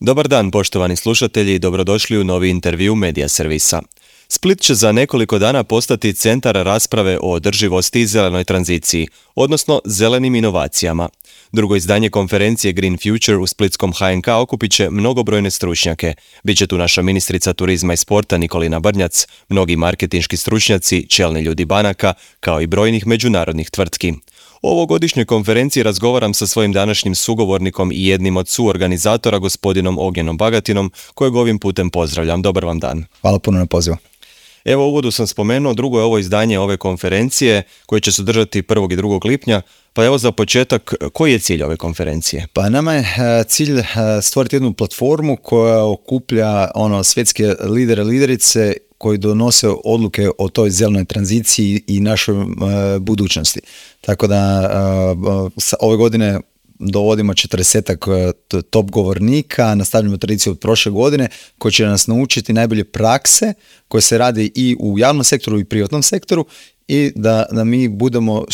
Dobar dan, poštovani slušatelji, i dobrodošli u novi intervju Medija servisa. Split će za nekoliko dana postati centar rasprave o održivosti i zelenoj tranziciji, odnosno zelenim inovacijama. Drugo izdanje konferencije Green Future u splitskom HNK okupit će mnogobrojne stručnjake. Biće tu naša ministrica turizma i sporta Nikolina Brnjac, mnogi marketinški stručnjaci, čelni ljudi banaka, kao i brojnih međunarodnih tvrtki. O ovogodišnjoj konferenciji razgovaram sa svojim današnjim sugovornikom i jednim od suorganizatora, gospodinom Ognjenom Bagatinom, kojeg ovim putem pozdravljam. Dobar vam dan. Hvala puno na pozivu. Evo, u uvodu sam spomenuo, drugo je ovo izdanje ove konferencije koje će se održati 1. i 2. lipnja. Pa evo za početak, koji je cilj ove konferencije? Pa nama je cilj stvoriti jednu platformu koja okuplja svjetske lidere, liderice koji donose odluke o toj zelenoj tranziciji i našoj budućnosti. Tako da ove godine dovodimo 40 top govornika, nastavljamo tradiciju od prošle godine koji će nas naučiti najbolje prakse koje se radi i u javnom sektoru i privatnom sektoru i da mi budemo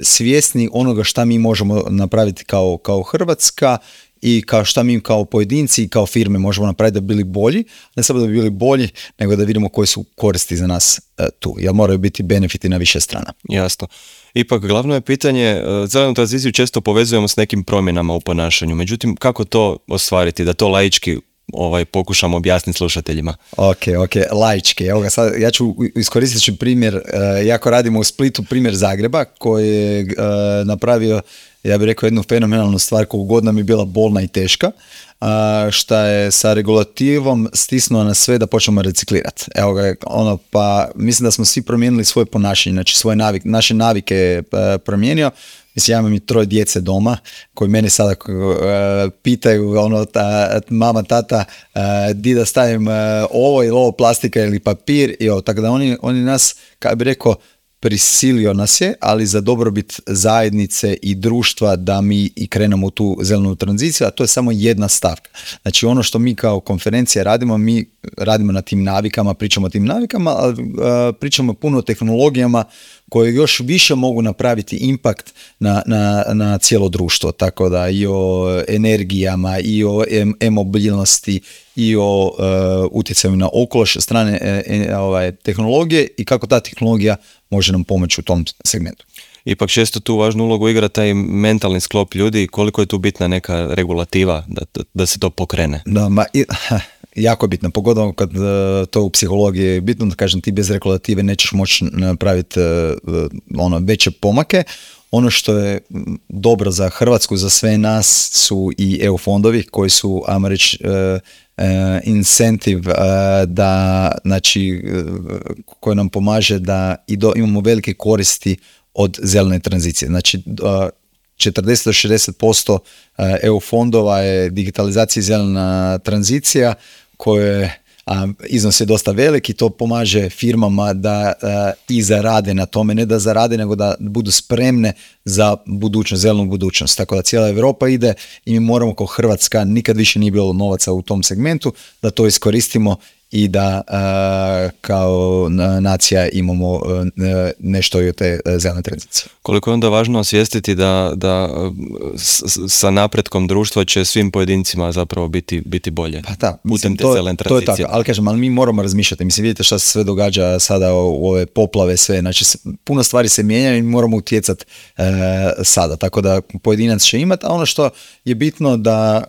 svjesni onoga šta mi možemo napraviti kao Hrvatska i šta mi kao pojedinci i kao firme možemo napraviti da bi bili bolji, ne samo da bi bili bolji, nego da vidimo koje su koristi za nas tu, jer moraju biti benefiti na više strana. Jasno. Ipak, glavno je pitanje, zelenu tranziciju često povezujemo s nekim promjenama u ponašanju, međutim, kako to ostvariti, da to laički pokušamo objasniti slušateljima? Ok, laički. Evo ga sad, ja ću iskoristiti primjer, jako radimo u Splitu, primjer Zagreba koji je napravio, ja bih rekao, jednu fenomenalnu stvar koliko god nam je bila bolna i teška, šta je sa regulativom stisnuo na sve da počnemo reciklirati. Evo ga, pa mislim da smo svi promijenili svoje ponašanje, znači naše navike je promijenio. Mislim, ja imam i 3 djece doma koji mene sada pitaju, mama, tata, di da stavim ovo ili ovo plastika ili papir, tako da oni nas, kako bi rekao, prisilio nas je, ali za dobrobit zajednice i društva da mi i krenemo u tu zelenu tranziciju, a to je samo jedna stavka. Znači ono što mi kao konferencija radimo, mi radimo na tim navikama, pričamo o tim navikama, ali pričamo puno o tehnologijama koje još više mogu napraviti impakt na cijelo društvo, tako da i o energijama, i o e-mobilnosti, i o utjecaju na okoliš strane tehnologije i kako ta tehnologija može nam pomoći u tom segmentu. Ipak često tu važnu ulogu igra taj mentalni sklop ljudi, koliko je tu bitna neka regulativa da se to pokrene? Jako je bitno, pogotovo kad to u psihologiji je bitno, da kažem, ti bez regulative nećeš moći napraviti veće pomake. Ono što je dobro za Hrvatsku, za sve nas, su i EU fondovi koji su, ajmo reći, incentive koji nam pomaže da imamo velike koristi od zelene tranzicije. Znači 40-60% EU fondova je digitalizacija i zelena tranzicija koje iznos je dosta velik i to pomaže firmama da i zarade na tome, ne da zarade, nego da budu spremne za budućnost, zelenu budućnost. Tako da cijela Europa ide i mi moramo kao Hrvatska, nikad više nije bilo novaca u tom segmentu, da to iskoristimo i da kao nacija imamo nešto i od te zelene tranzicije. Koliko je onda važno osvijestiti da sa napretkom društva će svim pojedincima zapravo biti bolje? Pa da, putem te zelene tranzicije. To je tako, ali mi moramo razmišljati. Mislim, vidite šta se sve događa sada u ove poplave, sve. Znači, puno stvari se mijenja i moramo utjecati sada. Tako da pojedinac će imati, a ono što je bitno da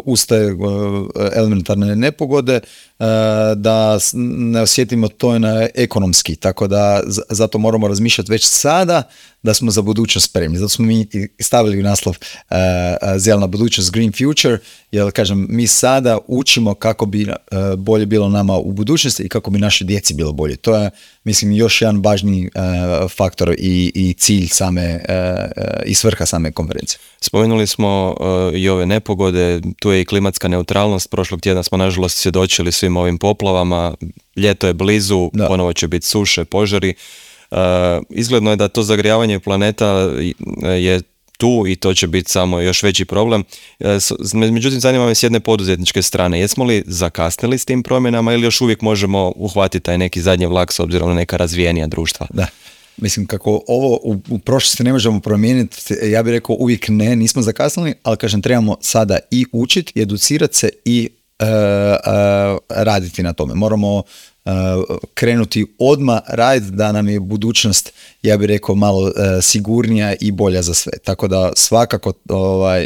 ustaje elementarne nepogode, da ne osjetimo to na ekonomski, tako da zato moramo razmišljati već sada da smo za budućnost spremni. Zato smo mi stavili u naslov zelena budućnost, Green Future, jer kažem, mi sada učimo kako bi bolje bilo nama u budućnosti i kako bi naše djeci bilo bolje. To je, mislim, još jedan važni faktor i cilj same i svrha same konferencije. Spomenuli smo i ove nepogode, tu je i klimatska neutralnost. Prošlog tjedna smo nažalost svjedočili svim ovim poplavama, ljeto je blizu, ponovo će biti suše, požari. Izgledno je da to zagrijavanje planeta je tu i to će biti samo još veći problem. Međutim, zanima me s jedne poduzetničke strane, jesmo li zakasnili s tim promjenama ili još uvijek možemo uhvatiti taj neki zadnji vlak s obzirom na neka razvijenija društva? Da. Mislim, kako ovo u prošlosti ne možemo promijeniti, ja bih rekao uvijek ne, nismo zakasnili, ali kažem, trebamo sada i učiti, i educirati se i raditi na tome. Moramo krenuti odmah raditi da nam je budućnost, ja bih rekao, malo sigurnija i bolja za sve. Tako da svakako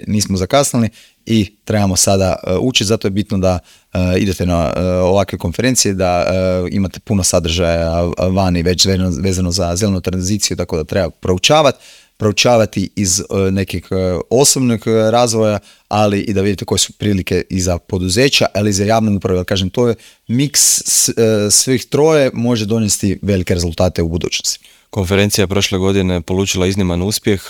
nismo zakasnili i trebamo sada učiti, zato je bitno da idete na ovakve konferencije, da imate puno sadržaja vani već vezano za zelenu tranziciju, tako da treba proučavati iz nekih osobnog razvoja, ali i da vidite koje su prilike i za poduzeća, ali i za javnu upravu. Ja kažem, to je miks svih troje, može donesti velike rezultate u budućnosti. Konferencija prošle godine polučila izniman uspjeh.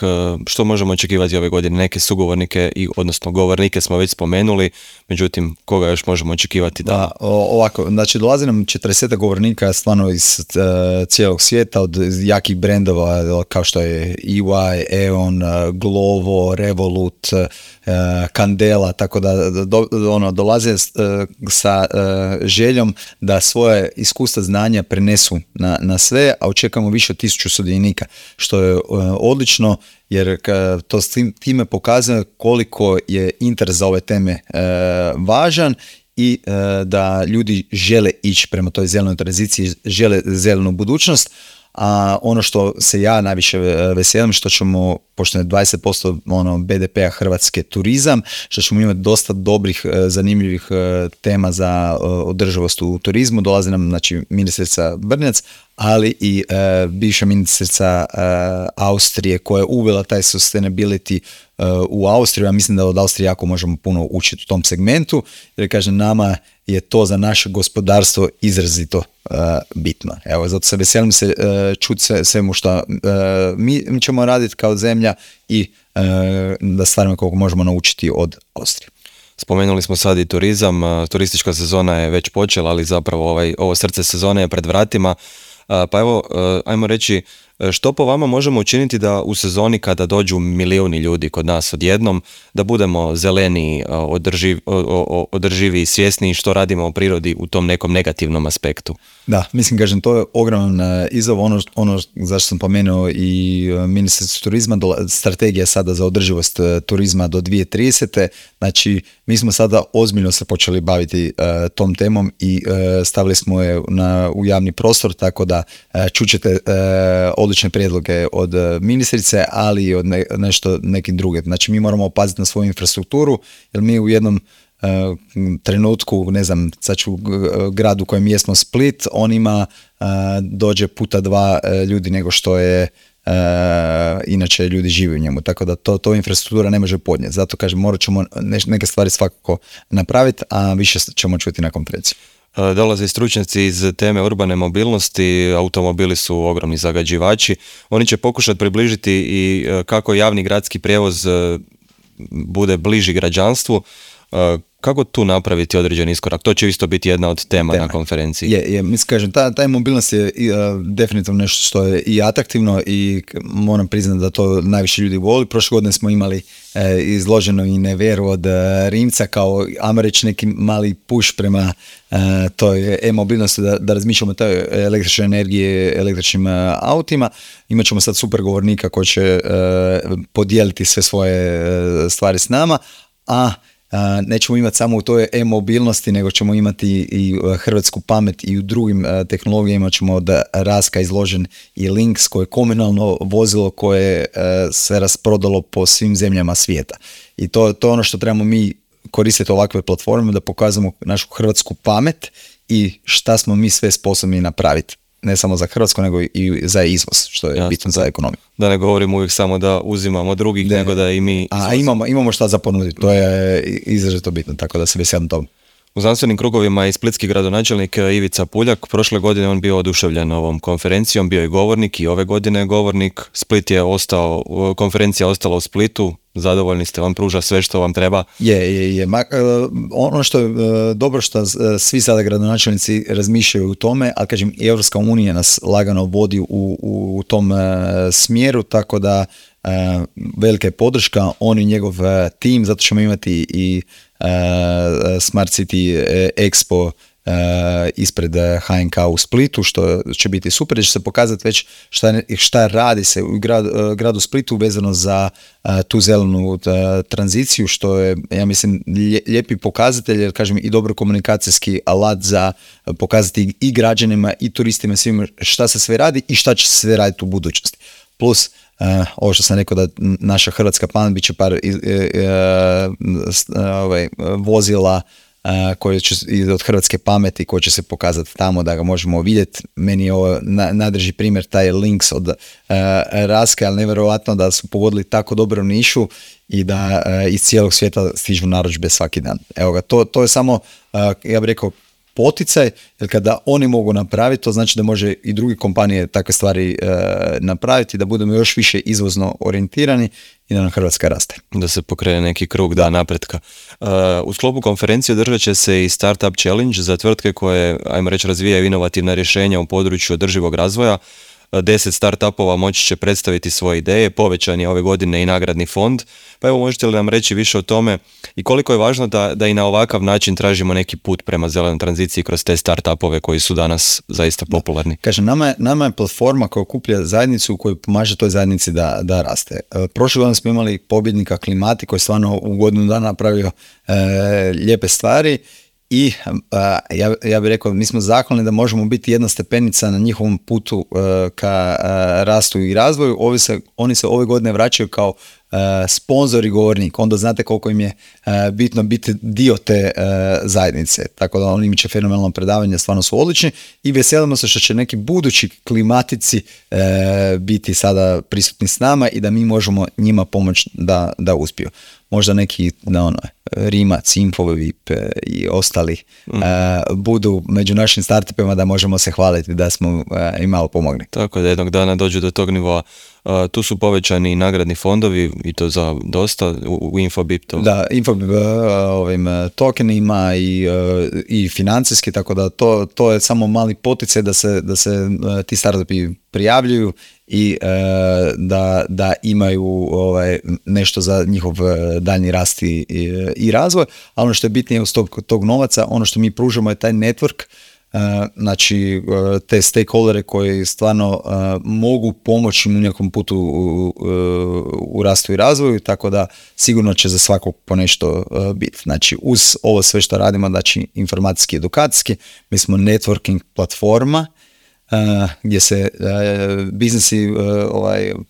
Što možemo očekivati ove godine? Neke sugovornike, odnosno govornike smo već spomenuli, međutim, koga još možemo očekivati? Da, ovako, znači dolazi nam 40 govornika stvarno iz cijelog svijeta, od jakih brendova kao što je EY, E.ON, Glovo, Revolut, Candela, tako da dolaze sa željom da svoje iskustva, znanja prenesu na sve, a očekujemo više od 1000 sudionika, što je odlično, jer to s time pokazuje koliko je interes za ove teme važan i da ljudi žele ići prema toj zelenoj tranziciji, žele zelenu budućnost. A ono što se ja najviše veselim, što ćemo, pošto je 20% BDP-a Hrvatske turizam, što ćemo imati dosta dobrih, zanimljivih tema za održivost u turizmu. Dolazi nam, znači, ministrica Brnjac, ali i bivša ministrica Austrije koja je uvela taj sustainability u Austriju. Ja mislim da od Austrije jako možemo puno učiti u tom segmentu, jer kažem, nama je to za naše gospodarstvo izrazito bitno. Evo, zato se veselim se čuti svemu što mi ćemo raditi kao zemlja i da stvarno koliko možemo naučiti od Austrije. Spomenuli smo sad i turizam, turistička sezona je već počela, ali zapravo ovo srce sezone je pred vratima. Pa evo, ajmo reći, što po vama možemo učiniti da u sezoni kada dođu milijuni ljudi kod nas odjednom, da budemo zeleni, održivi i svjesni što radimo u prirodi u tom nekom negativnom aspektu? Da, mislim, kažem, to je ogroman izazov, ono zašto sam pomenuo i ministarstvo turizma, strategija sada za održivost turizma do 2030. Znači, mi smo sada ozbiljno se počeli baviti tom temom i stavili smo je u javni prostor, tako da čućete odlične prijedloge od ministrice, ali i od neki druge. Znači, mi moramo paziti na svoju infrastrukturu, jer mi u jednom trenutku, ne znam, sad ću gradu u kojem jesmo Split, on ima dođe puta 2 ljudi nego što je inače ljudi žive u njemu, tako da to infrastruktura ne može podnijeti. Zato kažem, morat ćemo neke stvari svakako napraviti, a više ćemo čuti na konferenciji. Dolaze stručnjaci iz teme urbane mobilnosti, automobili su ogromni zagađivači, oni će pokušati približiti i kako javni gradski prijevoz bude bliži građanstvu. Kako tu napraviti određeni iskorak? To će isto biti jedna od tema na konferenciji. Mislim, kažem, ta mobilnost je definitivno nešto što je i atraktivno i moram priznati da to najviše ljudi voli. Prošle godine smo imali izloženo i Neveru od Rimca kao, ajmo reći, neki mali push prema toj e-mobilnosti, da razmišljamo o toj električnoj energiji, električnim autima. Imat ćemo sad super govornika koji će podijeliti sve svoje stvari s nama, a nećemo imati samo u toj e-mobilnosti, nego ćemo imati i hrvatsku pamet i u drugim tehnologijama. Ćemo od Raska izložen i Lynx, koje je komunalno vozilo koje se rasprodalo po svim zemljama svijeta. I to je ono što trebamo mi koristiti ovakve platforme, da pokazamo našu hrvatsku pamet i šta smo mi sve sposobni napraviti. Ne samo za Hrvatsku, nego i za izvoz, što je bitno za ekonomiju. Da ne govorimo uvijek samo da uzimamo drugih, nego da i mi... A imamo šta za ponuditi, to je izrazito bitno, tako da se veselim tom. U znanstvenim krugovima i splitski gradonačelnik Ivica Puljak, prošle godine on bio oduševljen ovom konferencijom, bio je govornik i ove godine je govornik. Split je ostao, konferencija ostala u Splitu, zadovoljni ste, vam pruža sve što vam treba? Je. Ono što je dobro što svi sada gradonačelnici razmišljaju u tome, ali kažem, Europska unija nas lagano vodi u tom smjeru, tako da velika je podrška, on i njegov tim, zato ćemo imati i Smart City Expo ispred HNK u Splitu, što će biti super, jer će se pokazati već šta radi se u gradu Splitu vezano za tu zelenu tranziciju, što je, ja mislim, lijepi pokazatelj, jer kažem i dobro komunikacijski alat za pokazati i građanima i turistima svima šta se sve radi i šta će se sve raditi u budućnosti. Plus, ovo što sam rekao da naša hrvatska pamet bit će par vozila koje će od hrvatske pameti koje će se pokazati tamo da ga možemo vidjeti. Meni je ovo najdraži primjer taj Lynx od Raske, ali nevjerojatno da su pogodili tako dobro nišu i da iz cijelog svijeta stižu narudžbe svaki dan. Evo ga, to je samo, ja bih rekao, poticaj, jer kada oni mogu napraviti, to znači da može i druge kompanije takve stvari napraviti, da budemo još više izvozno orijentirani i da nam Hrvatska raste. Da se pokrene neki krug napretka. U sklopu konferencije održat će se i Startup Challenge za tvrtke koje, ajmo reći, razvijaju inovativna rješenja u području održivog razvoja. 10 startupova moći će predstaviti svoje ideje, povećan je ove godine i nagradni fond. Pa evo, možete li nam reći više o tome i koliko je važno da i na ovakav način tražimo neki put prema zelenoj tranziciji kroz te startupove koji su danas zaista popularni? Kažem, nama je platforma koja okuplja zajednicu koja pomaže toj zajednici da raste. Prošle godine smo imali pobjednika Klimati koji je stvarno u godinu dana napravio lijepe stvari. I ja bih rekao, mi smo zahvalni da možemo biti jedna stepenica na njihovom putu ka rastu i razvoju. Oni se ove godine vraćaju kao sponzor i govornik, onda znate koliko im je bitno biti dio te zajednice. Tako da oni će fenomenalno predavanje, stvarno su odlični i veselimo se što će neki budući klimatici biti sada prisutni s nama i da mi možemo njima pomoći da uspiju. Možda neki Rimac, Infovip i ostali budu među našim startupima da možemo se hvaliti da smo im malo pomogli. Tako da jednog dana dođu do tog nivoa. Tu su povećani nagradni fondovi i to za dosta u Infobip. Da, Infobip ovim tokenima i financijski, tako da to je samo mali poticaj da se ti startupi prijavljuju i da imaju nešto za njihov daljnji rast i razvoj, a ono što je bitnije uz tog novaca, ono što mi pružamo je taj network, znači te stakeholdere koji stvarno mogu pomoći u nekom putu u rastu i razvoju, tako da sigurno će za svakog po nešto biti. Znači uz ovo sve što radimo, znači informacijski i edukacijski, mi smo networking platforma gdje se biznisi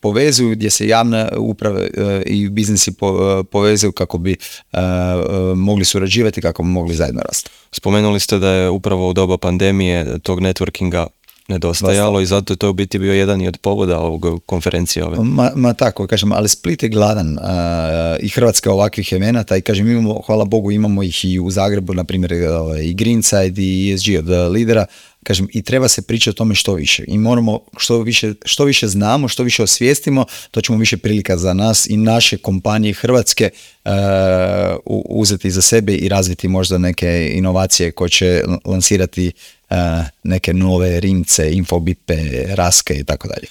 povezuju, gdje se javne uprave i biznisi povezuju kako bi mogli surađivati, kako bi mogli zajedno rasti. Spomenuli ste da je upravo u doba pandemije tog networkinga nedostajalo i zato je to u biti bio jedan i od povoda ovog konferencije ove. Ma tako, kažem, ali Split je gladan i Hrvatska ovakvih evenata i kažem, imamo, hvala Bogu, imamo ih i u Zagrebu, na primjer i Greenside i ESG od lidera. Kažem, i treba se pričati o tome što više. I moramo što više znamo, što više osvijestimo, to ćemo više prilika za nas i naše kompanije Hrvatske uzeti za sebe i razviti možda neke inovacije koje će lansirati neke nove Rimce, Infobipe, Raske i tako dalje.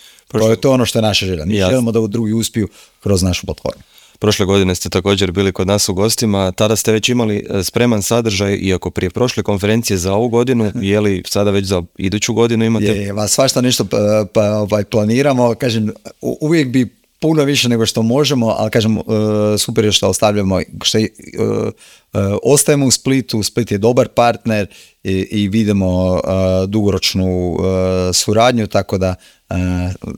To je ono što je naša želja. Mi želimo da drugi uspiju kroz našu platformu. Prošle godine ste također bili kod nas u gostima, tada ste već imali spreman sadržaj, iako prije prošle konferencije za ovu godinu, je li sada već za iduću godinu imate? Svašta nešto planiramo, kažem, uvijek bi puno više nego što možemo, ali kažem, super je što ostavljamo, što ostajemo u Splitu, Split je dobar partner i vidimo dugoročnu suradnju, tako da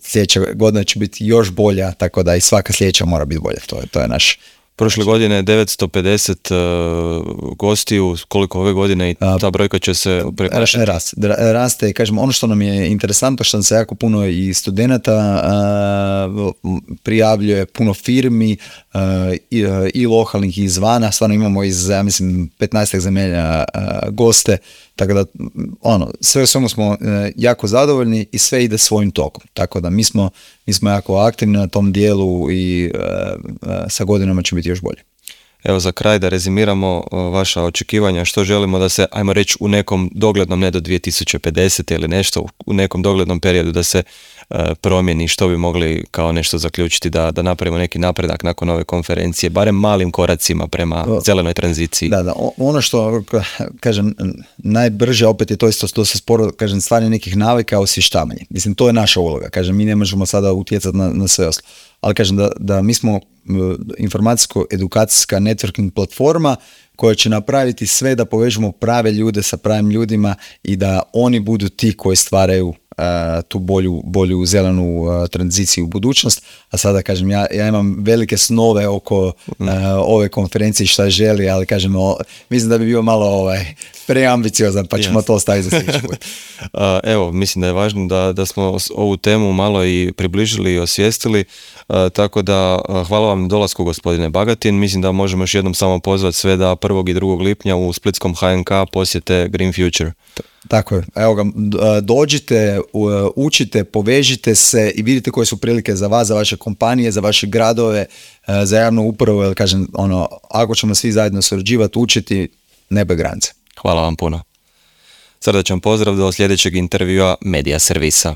sljedeća godina će biti još bolja, tako da i svaka sljedeća mora biti bolja, to je naš. Prošle godine je 950 gostiju, koliko ove godine i ta brojka će se prekoračiti? Raste i kažem, ono što nam je interesantno, što nam se jako puno i studenata prijavljuje, puno firmi i lokalnih i izvana, stvarno imamo iz, ja mislim, 15 zemalja goste, tako da sve u svemu smo jako zadovoljni i sve ide svojim tokom, tako da mi smo jako aktivni na tom dijelu i sa godinama će biti još bolje. Evo za kraj da rezimiramo vaša očekivanja, što želimo da se, ajmo reći, u nekom doglednom, ne do 2050. ili nešto, u nekom doglednom periodu da se promijeni, što bi mogli kao nešto zaključiti da napravimo neki napredak nakon ove konferencije, barem malim koracima prema zelenoj tranziciji. Da, ono što, kažem, najbrže opet je to isto dosta sporo, kažem, stvaranje nekih navika, osvještavanje. Mislim, to je naša uloga, kažem, mi ne možemo sada utjecati na sve ostalo. Ali kažem da mi smo informacijsko-edukacijska networking platforma koja će napraviti sve da povežemo prave ljude sa pravim ljudima i da oni budu ti koji stvaraju tu bolju zelenu tranziciju u budućnost. A sada kažem, ja imam velike snove oko ove konferencije šta želi, ali kažem, mislim da bi bio malo preambiciozan, pa ćemo to ostaviti za sljedeći put. Evo, mislim da je važno da smo ovu temu malo i približili i osvijestili, tako da hvala vam na dolasku, gospodine Bagatin. Mislim da možemo još jednom samo pozvati sve da 1. i 2. lipnja u splitskom HNK posjete Green Future. Tako je, evo ga, dođite, učite, povežite se i vidite koje su prilike za vas, za vaše kompanije, za vaše gradove, za javnu upravu, jer kažem, ako ćemo svi zajedno surađivati, učiti, nebo je granice. Hvala vam puno. Srdačan pozdrav do sljedećeg intervjua Media Servisa.